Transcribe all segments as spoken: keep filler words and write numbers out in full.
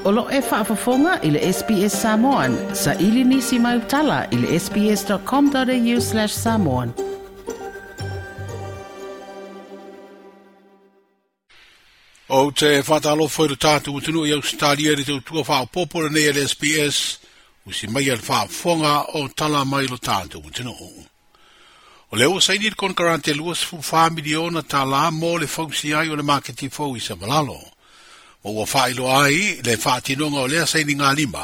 O lo e faafofoga i le S B S Samoan, sa ili nisi mai utala i le sbs.com.au slash samoan. O te whātalofo i le tātou utunu i Australia i te utua whaopopo le nei le S B S, usi mai al whaafonga o tala mai lo tātou utunu. O leo saini le konkarante lua sefulu wha miliona tā la mō le fausi ai o le maketi fau i Savalalo. Ma ua whailo ai le whaatinonga o lea saini ngā lima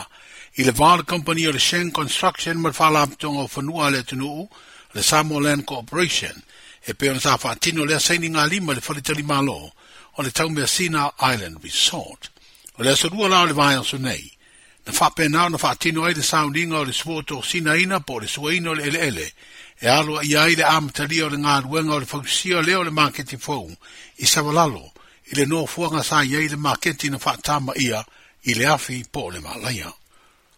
i le vā le company o le Shen Construction ma le whalaputonga o whanua le atunuu le Samoa Land Corporation e pe ona sa whaatino lea saini ngā lima le whalitali malo o le Taumeasina Island Resort. O le asolua la o le vai aso nei. Na whapenao na whaatino ai le sauninga o le suoto sinaina po le suaina o le eleele. E aloa i ai le amatalia o le ngā o le fausia leo le maketi fou i Savalalo i le nofoanga sa i ai le maketi na whaatama ia i le afi po le malaia.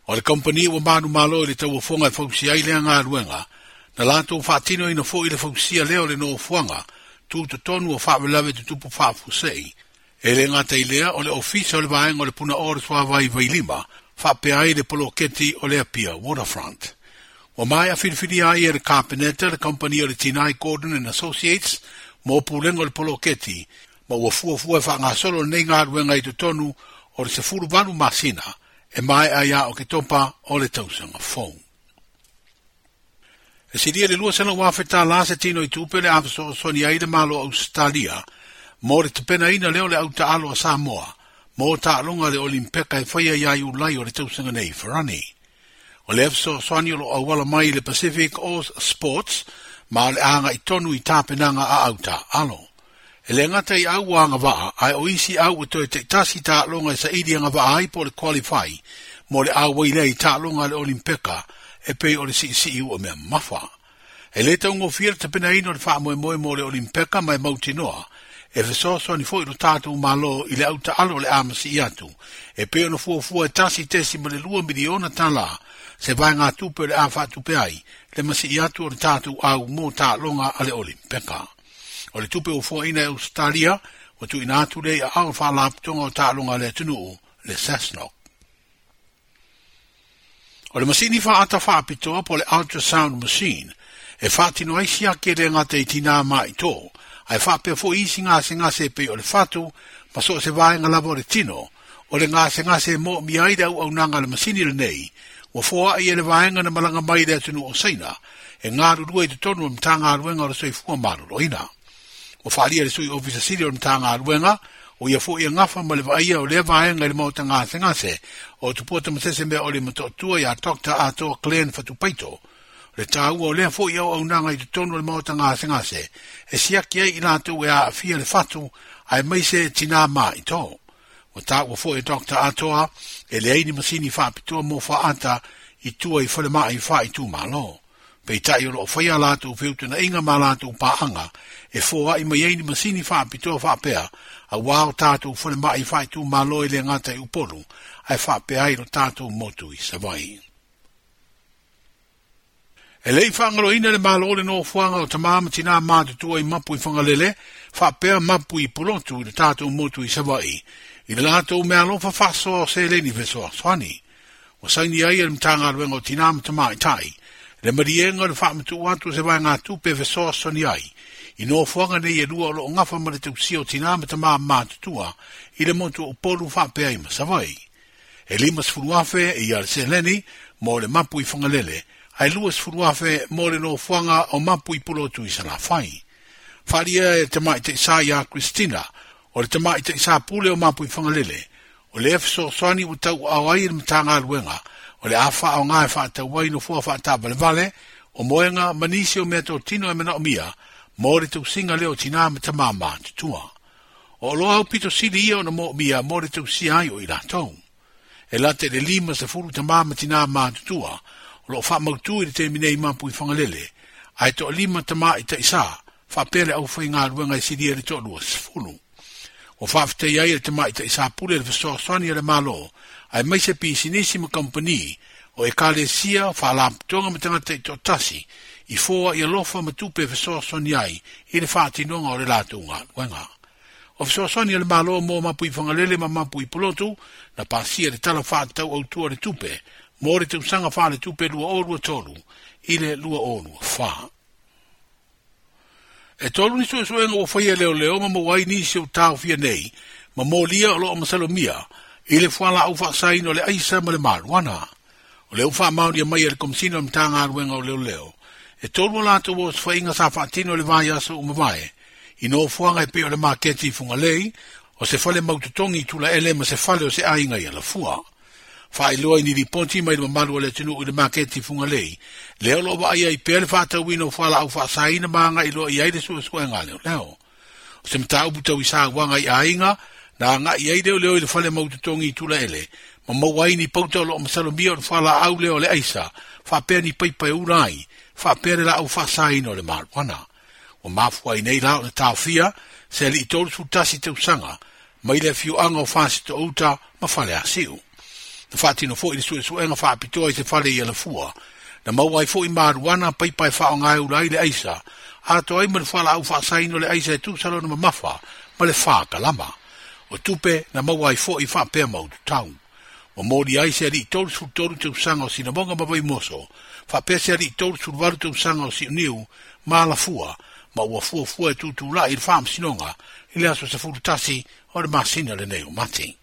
O le kompani ua manu malo i le tauafonga e fausia ai lea ngā ruenga, na lātou whaatino ina fo i le fausia leo le nofoanga tūtotonu o whaawelawe tutupu whaafusei. E le ngā lea o le ofisa o le vaenga o le puna ore suavai vailima, whaapea ai le poloketi o le Apia Waterfront. Wa mai a whiriwhiri ai e le Carpeneta, le kompani o le Tinai Gordon and Associates, mō pūlenga o le poloketi, ma ua fuafua e whaangasolo nei ngā ruenga i totonu o le sefulu valu masina, e mai ai a o ke topa o le tausanga fou. E siria le lua sena wawheta la se tino i tupe le awhasoasoni ai le malo Australia, mō le tepena ina leo le auta alo a Samoa, mō tālonga le Olimpeka e whaia iai ulai o le tausanga nei wharani. O le awhasoasoni o lo awala mai le Pacific Oz Sports, ma o le anga i tonu i tāpenanga a auta alo. E le ngata i au anga waa, ai o isi au e toe te tasi tālonga e saidi anga waa ai po le qualify, mō le awai lei tālonga le Olimpeka, e pei o le si si u o mea mafa. E le taungofia le tapena ino le whaamoemoe mō le Olimpeka mai mautinoa, e fesoasoani foi lo tātou malo i le auta alo le amasi i atu, e pei ona fuafua e tasi tesi ma le lua miliona tālā, se vai ngā tupe le a whaatupe ai, le masi i atu o le tātou au mō tālonga a le Olimpeka. O le tupe o fuaina e Australia, o tu ina atu le a au whaalaputonga o tālonga le atunuu, le Sasnok. O le masini whaata whaapitoa po le ultrasound machine, e whaatino ai siake le ngā te tina mai tō, ai whaapea fo isi ngā se ngā se pei o le whatu, ma so se vaenga lava o le tino, o le ngā se ngā se mō mi ai au au nanga le masini le nei, ua foa ai e le vaenga na malanga mai le atunu o Saina, e ngā rurua i te tonu o mtanga ruenga o le soifua maloloina. O whaalia le sui ofisa sili o mtanga ruenga, o ia fo ia ngafa ma le vaia o le vaenga i le maota ngase ngase, o tupua tamasese mea o le matoatua ia Doctor Atoa Glenn Fatupaito, le tāua o lea fo ia au nanga i te tonu o le maota ngase ngase, e siaki ai i lātou e a afia le fatu, ai mai se tina mā i tō. O tāua fo e Doctor Atoa, e le aini masini whaapitoa mō whaata i tua i whale maa i wha i tū malo. Peitai o loo whaia lātou feutuna inga mā lātou pāanga, e fōa i mai aini masini whaapitoa whaapea, a wā o tātou whale maa i wha i tū malo i le ngata i upolu, ai whaapea ai lo tātou motu i Savai. E lei whaangaloina le malo le nofoanga o tamama tina mātutua i mapu i whangalele, whaapea mapu i pulotu i le tātou motu i Savai, i le lātou mea alofa whasoa o seleni fesoasoani. O saini ai e le mtanga ruenga o tina matama i tai, le marienga le whaamatu atu se vai ngā tupe fesoasoani ai, i nofoanga nei e lua o loo ngafa ma le tausia o tina matama mātutua i le motu o polu whaapea i Masavai. E lima sefulu afe e ia le seleni mō le mapu i whangalele, ai lua sefulu afe mō le nofoanga o mapu i pulotu i Salafai. Wharia e te mai te isa ia Christina, o le te mai te isa pule o mapu i whangalele, o le fesoasoani ua tau au ai le matanga ruenga, o le awha o ngā e whaatau no fua whaatawalewale, o moenga manisi o mea tō tino e mana o mia, mō le tausinga leo tina ma tamama tutua. O loa au pito sili ia o na mō mia mō le tausia ai o i lātou. E late le lima se furu tamama tina mā tutua, o loo whaamautu i le te minei mapu i whangalele, ai to lima tama i taisa, whaapele au whai ngā ruenga i siria le tō lua sefulu. O whaafetei ai le tamai taisa pule le fesoasoani a le malo, ai mai se pisinisi ma kompani, o e kalesia whaalaputonga ma tangata i tōtasi, i fōa i alofa ma tupe fesoasoani ai i le whaatinonga o le lātou ngā ruenga. O fesoasoani a le Malo mo mapui Fagalele ma mapui Pulotu na pasia le Tala Faatatau Autu o le Tupe mo le tausaga faaletupe lua o lua tolu i le lua o lua fa. E tolu ni suesuega ua faia leoleo ma maua ai nisi o taofia nei ma molia o loo masalomia i le fualaau faasaina o le aisa ma le maluana. O lea ua faamaonia mai e le Komesina o le Matagaluega o Leoleo, e tolu o latou osofaiga sa faatino i le vaiaso ua mavae, i nofoaga e pei o le maketi i Fugalei, o se fale mautotogi i Tulaele ma se fale o se aiga i Alafua. Faailoa i ni lipoti mai le mamalu o le atunuu i le maketi i Fugalei, lea o loo vaaia ai pea le faatauina o fualaau faasaina ma agai loa i ai le suesuega a leoleo. O se mataupu tau i sauaga i aiga, na agai ai leoleo i le fale mautotogi i Tulaele, ma maua ai ni pauta o loo masalomia o le fualaau lea o le aisa, faapea ni paipa e ula ai, faapea le laau faasaina o le maluana. Ua mafua ai nei la o le taofia, se alii tolu tasi tausaga, mai le afioaga o Fasitouta ma Faleasiu. Na faatino foi le suesuega faapitoa i se fale i Alafua, na maua ai foi maluana paipa e faaaoga e ula ai le aisa, atoa ai ma le fualaau faasaina o le aisa e tusa lona mamafa ma le fa kalama. O tupe na maua ai foi faapea maututau. Ua moli ai se alii tolu tolu tausaga o Sinamoga ma Vaimoso, faapea se alii tolu valu tausaga o Siuniu ma Alafua, ma ua fuafua e tutulai i le faamasinoga i le aso sefulu tasi o le masina lenei o Mati.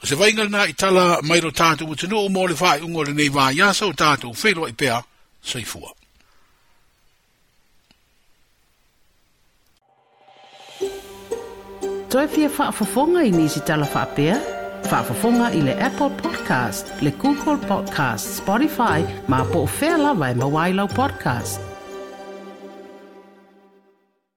O se vaiga lena i tala mai lo tatou atunuu mo le faaiuga o lenei vaiaso o tatou feiloai pea soifua. Toe fia faafofoga i nisi tala faapea? Faafofoga i le Apple Podcast, le Google Podcast, Spotify, ma po o fea lava e maua ai lau podcast.